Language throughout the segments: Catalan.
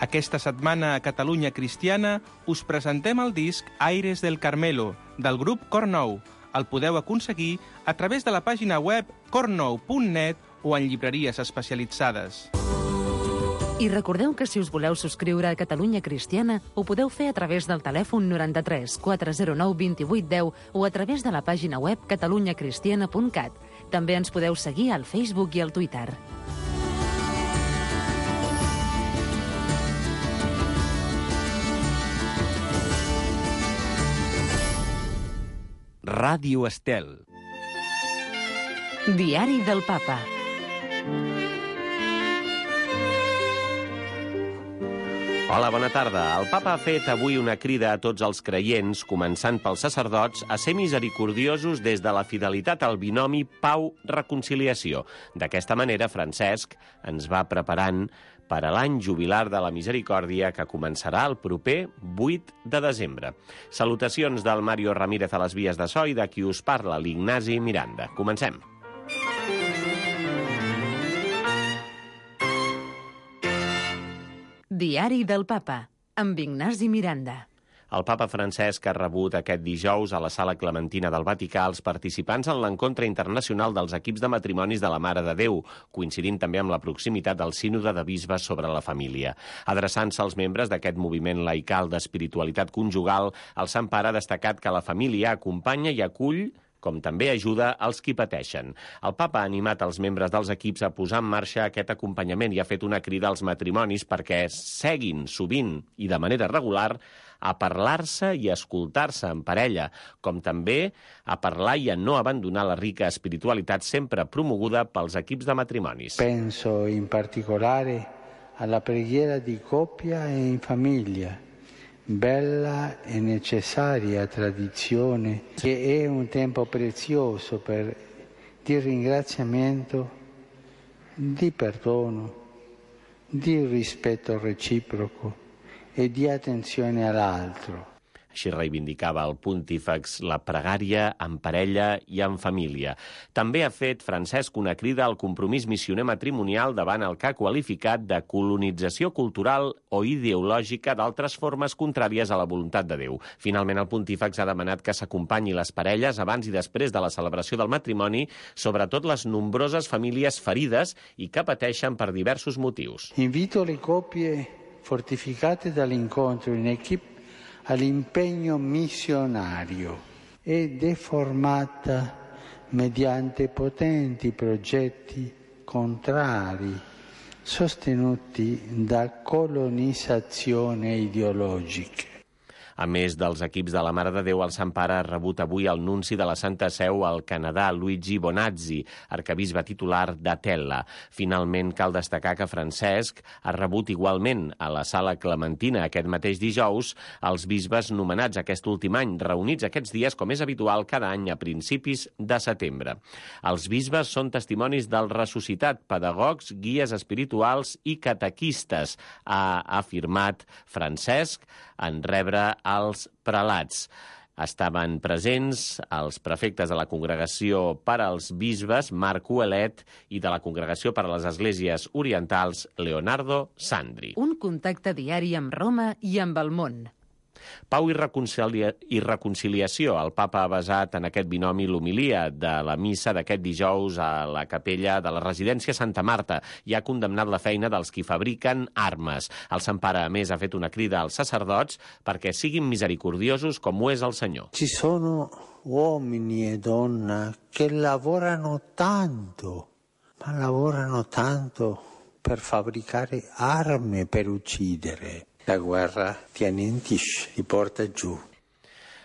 Aquesta setmana a Catalunya Cristiana us presentem el disc Aires del Carmelo, del grup Cor Nou. El podeu aconseguir a través de la pàgina web cornou.net o en llibreries especialitzades. I recordeu que si us voleu subscriure a Catalunya Cristiana, ho podeu fer a través del telèfon 93 409 2810 o a través de la pàgina web catalunyacristiana.cat. També ens podeu seguir al Facebook i al Twitter. Ràdio Estel. Diari del Papa. Hola, bona tarda. El Papa ha fet avui una crida a tots els creients, començant pels sacerdots, a ser misericordiosos des de la fidelitat al binomi pau-reconciliació. D'aquesta manera, Francesc ens va preparant per a l'any jubilar de la misericòrdia que començarà el proper 8 de desembre. Salutacions del Mario Ramírez a les vies de so i de qui us parla, l'Ignasi Miranda. Comencem. Diari del Papa, amb Ignasi Miranda. El papa Francesc ha rebut aquest dijous a la Sala Clementina del Vaticà els participants en l'encontre internacional dels equips de matrimonis de la Mare de Déu, coincidint també amb la proximitat del sínode de bisbes sobre la família. Adreçant-se als membres d'aquest moviment laical d'espiritualitat conjugal, el Sant Pare ha destacat que la família acompanya i acull com també ajuda els qui pateixen. El papa ha animat els membres dels equips a posar en marxa aquest acompanyament i ha fet una crida als matrimonis perquè seguin sovint i de manera regular a parlar-se i escoltar-se en parella, com també a parlar i a no abandonar la rica espiritualitat sempre promoguda pels equips de matrimonis. Penso in particolare alla preghiera di coppia e in famiglia, bella e necessaria tradizione che è un tempo prezioso di ringraziamento, di perdono, di rispetto reciproco e di attenzione all'altro. Així reivindicava el pontífex la pregària en parella i en família. També ha fet Francesc una crida al compromís missioner matrimonial davant el que ha qualificat de colonització cultural o ideològica d'altres formes contràries a la voluntat de Déu. Finalment, el pontífex ha demanat que s'acompanyi les parelles abans i després de la celebració del matrimoni, sobretot les nombroses famílies ferides i que pateixen per diversos motius. Invito le coppie fortificate dall'incontro in equipe all'impegno missionario e deformata mediante potenti progetti contrari sostenuti da colonizzazione ideologica. A més dels equips de la Mare de Déu, el Sant Pare ha rebut avui el nunci de la Santa Seu al Canadà, Luigi Bonazzi, arquebisbe titular d'Atella. Finalment, cal destacar que Francesc ha rebut igualment a la Sala Clementina aquest mateix dijous els bisbes nomenats aquest últim any, reunits aquests dies, com és habitual, cada any a principis de setembre. Els bisbes són testimonis del ressuscitat, pedagogs, guies espirituals i catequistes, ha afirmat Francesc en rebre els prelats. Estaven presents els prefectes de la Congregació per als Bisbes, Marc Ouellet, i de la Congregació per a les Esglésies Orientals, Leonardo Sandri. Un contacte diari amb Roma i amb el món. Pau i reconciliació. El papa ha basat en aquest binomi l'homilia de la missa d'aquest dijous a la capella de la residència Santa Marta i ha condemnat la feina dels qui fabriquen armes. El Sant Pare, a més, ha fet una crida als sacerdots perquè siguin misericordiosos com ho és el Senyor. Ci sono uomini e donne che lavorano tanto, ma lavorano tanto per fabbricare armi per uccidere. La guerra ti annientisce, ti porta giù.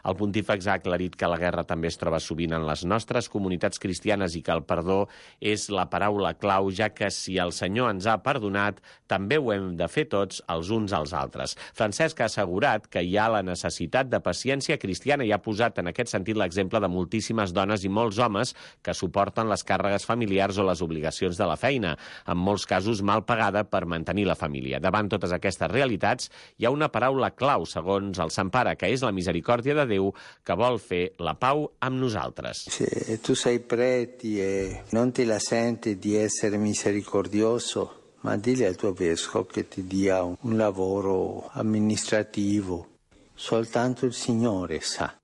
El pontífex ha aclarit que la guerra també es troba sovint en les nostres comunitats cristianes i que el perdó és la paraula clau, ja que si el Senyor ens ha perdonat, també ho hem de fer tots els uns als altres. Francesc ha assegurat que hi ha la necessitat de paciència cristiana i ha posat en aquest sentit l'exemple de moltíssimes dones i molts homes que suporten les càrregues familiars o les obligacions de la feina, en molts casos mal pagada per mantenir la família. Davant totes aquestes realitats, hi ha una paraula clau, segons el Sant Pare, que és la misericòrdia de Déu, que vol fer la pau amb nosaltres. Se tu sei preti e non ti la senti di essere misericordioso, ma dile al tuo vescovo che ti dia un lavoro amministrativo. Soltanto il Signore sa.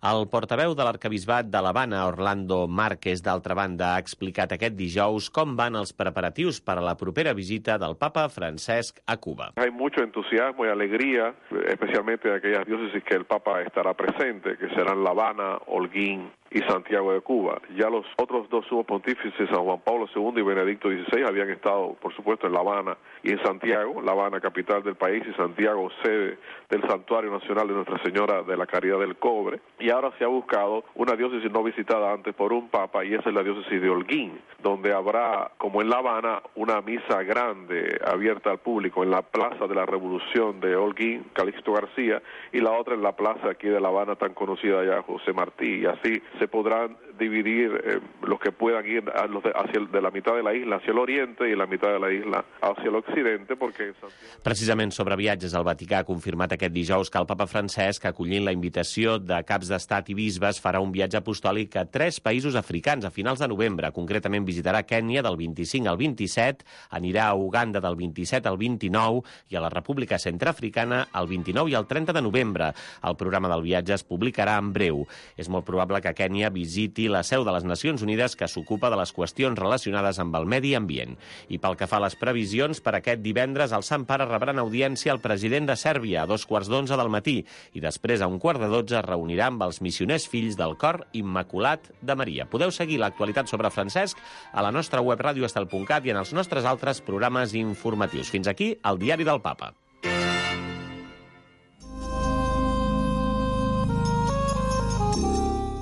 El portaveu de l'arquebisbat de l'Havana, Orlando Márquez, d'altra banda, ha explicat aquest dijous com van els preparatius per a la propera visita del papa Francesc a Cuba. Hay mucho entusiasmo y alegría, especialmente de aquellas diócesis que el papa estará presente, que serán La Habana, Holguín y Santiago de Cuba. Ya los otros dos sumos pontífices, San Juan Pablo II y Benedicto XVI, habían estado, por supuesto, en La Habana y en Santiago, La Habana capital del país y Santiago sede del Santuario Nacional de Nuestra Señora de la Caridad del Cobre. Y ahora se ha buscado una diócesis no visitada antes por un papa, y esa es la diócesis de Holguín, donde habrá, como en La Habana, una misa grande abierta al público en la Plaza de la Revolución de Holguín, Calixto García, y la otra en la plaza aquí de La Habana tan conocida ya, José Martí, y así se podrán dividir los que puedan ir de la mitad de la isla hacia el oriente y la mitad de la isla hacia el occidente, porque... Precisament sobre viatges, el Vaticà ha confirmat aquest dijous que el papa Francesc, acollint la invitació de caps d'estat i bisbes, farà un viatge apostòlic a 3 països africans a finals de novembre. Concretament visitarà Kènia del 25 al 27, anirà a Uganda del 27 al 29 i a la República Centreafricana el 29 i el 30 de novembre. El programa del viatge es publicarà en breu. És molt probable que Kènia visiti la seu de les Nacions Unides, que s'ocupa de les qüestions relacionades amb el medi ambient. I pel que fa a les previsions, per aquest divendres el Sant Pare rebrà en audiència el president de Sèrbia a 2:15 del matí i després a 1:15 es reunirà amb els missioners fills del Cor Immaculat de Maria. Podeu seguir l'actualitat sobre Francesc a la nostra web radioestel.cat i en els nostres altres programes informatius. Fins aquí el Diari del Papa.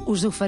Us oferim